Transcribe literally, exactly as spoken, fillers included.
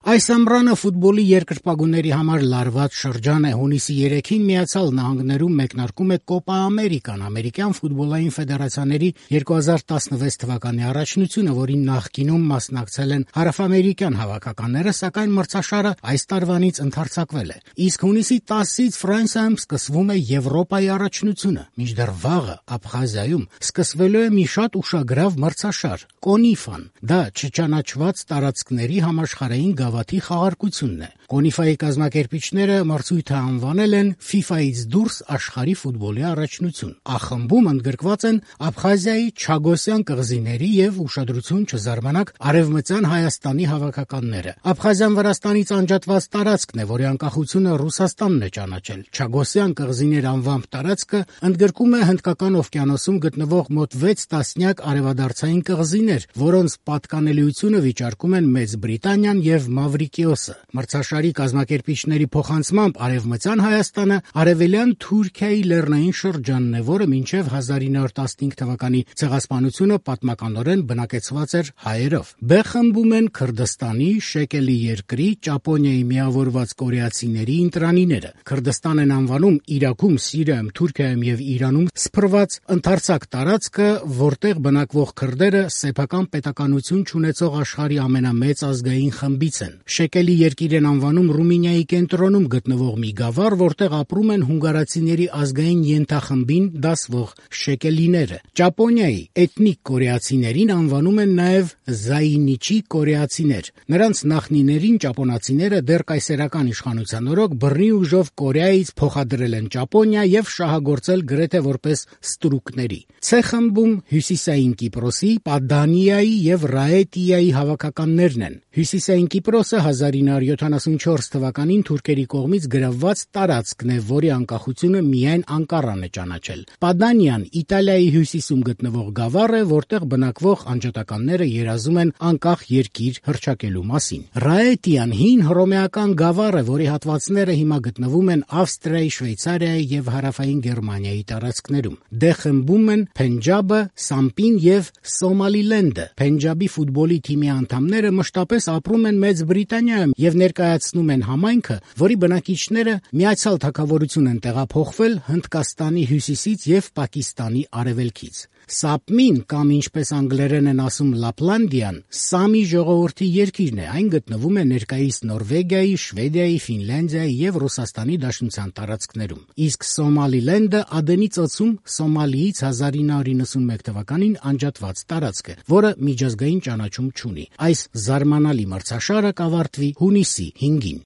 Այս ամռանը ֆուտբոլի երկրպագուների համար լարված շրջան է։ Հունիսի երեքին Միացյալ Նահանգներում մեկնարկում է Կոպա Ամերիկան, ամերիկյան ֆուտբոլային ֆեդերացիաների երկու հազար տասնվեց թվականի առաջնությունը, որին նախկինում մասնակցել են հարավամերիկյան հավաքականները, սակայն մրցաշարը այս տարվանից ընդարձակվել է։ Իսկ հունիսի տասից Ֆրանսիայում սկսվում է Եվրոպայի առաջնությունը, մինչդեռ վաղը Աբխազիայում սկսվելու է մի շատ ուշագրավ մրցաշար՝ Կոնիֆան։ Դա չճանաչված տարածքների համաշխարհային գավաթի խաղարկությունն է։ Կոնիֆայի կազմակերպիչները մրցույթը անվանել են ֆիֆայից դուրս աշխարհի ֆուտբոլի առաջնություն։ Ա-խմբում ընդգրկված են Աբխազիայի Չագոսյան կղզիների եւ ուշադրություն չզարմանաք Արևմտյան Հայաստանի հավաքականները։ Աբխազիան Վրաստանից անջատված տարածքն է, որի անկախությունը Ռուսաստանն է ճանաչել։ Չագոսյան կղզիներ անվամբ տարածքը ընդգրկում է Հնդկական օվկիանոսում գտնվող մոտ վեց տասնյակ արևադարձային կղզիներ, որոնց պատկանելիությունը վիճարկում են Մեծ Բրիտանիան եւ Մավրիկիոսը։ Մրցաշարի կազմակերպիչների փոխանցմամբ Արևմտյան Հայաստանը արևելյան Թուրքիայի լեռնային շրջանն է, որը մինչև հազար ինը հարյուր տասնհինգ թվականի ցեղասպանությունը պատմականորեն բնակեցված էր հայերով։ Բ խմբում են Քրդստանի, Շեկելի երկրի, Ճապոնիայի միավորված կորեացիների ընտրանիները։ Քրդստան են անվանում Իրաքում, Սիրիայում, Թուրքիայում եւ Իրանում սփռված ընդարձակ տարածքը, որտեղ բնակվող քրդերը սեփական պետականություն չունեցող աշխարհի ամենամեծ ազգային խմբից են։ Շեկելի երկիր են անվանում Ռումինիայի կենտրոնում գտնվող մի գավառ, որտեղ ապրում են հունգարացիների ազգային ենթախմբին դասվող շեկելիները։ Ճապոնիայի էթնիկ կորեացիներին անվանում են նաև Զայինիչի կորեացիներ։ Նրանց նախնիներին ճապոնացիները դեռ կայսերական իշխանության օրոք բռնի ուժով Կորեայից փոխադրել են Ճապոնիա եւ շահագործել գրեթե որպես ստրուկների։ Ց խմբում Հյուսիսային Կիպրոսի, Պադանիայի եւ Ռաետիայի հավաքականներն են։ Հյուսիսային Կիպրոսը հազար ինը հարյուր յոթանասունչորս թվականին թուրքերի կողմից գրավված տարածքն է, որի անկախությունը միայն Անկարան է ճանաչել։ Պադանիան Իտալիայի հյուսիսում գտնվող գավառ է, որտեղ բնակվող անջատականները երազում են անկախ երկիր հռչակելու մասին։ Ռաետիան հին հռոմեական գավառ է, որի հատվածները հիմա գտնվում են Ավստրիայի, Շվեյցարիայի եւ Հարավային Գերմանիայի տարածքներում։ Դ խմբում են Փենջաբը, Սամպին եւ Սոմալիլենդը։ Փենջաբի ֆուտբոլի թիմի անդամները մշտապես ապրում են Մեծ Բրիտանիայում եւ ներկայացնում են համայնքը, որի բնակիչները Միացյալ Թագավորություն են տեղափոխվել Հնդկաստանի հյուսիսից եւ Պակիստանի արևելքից։ Սապմին կամ ինչպես անգլերեն են ասում Լապլանդիան, Սամի ժողովրդի երկիրն է, այն գտնվում է ներկայիս Նորվեգիայի, Շվեդիայի, Ֆինլանդիայի եւ Ռուսաստանի Դաշնության տարածքներում։ Իսկ Սոմալիլենդը Ադենի ծոցում Սոմալիից հազար ինը հարյուր իննսունմեկ թվականին անջատված տարածք է, որը միջազգային ճանաչում չունի։ Այս զարմանալի մրցաշարը կավարտվի հունիսի հինգին։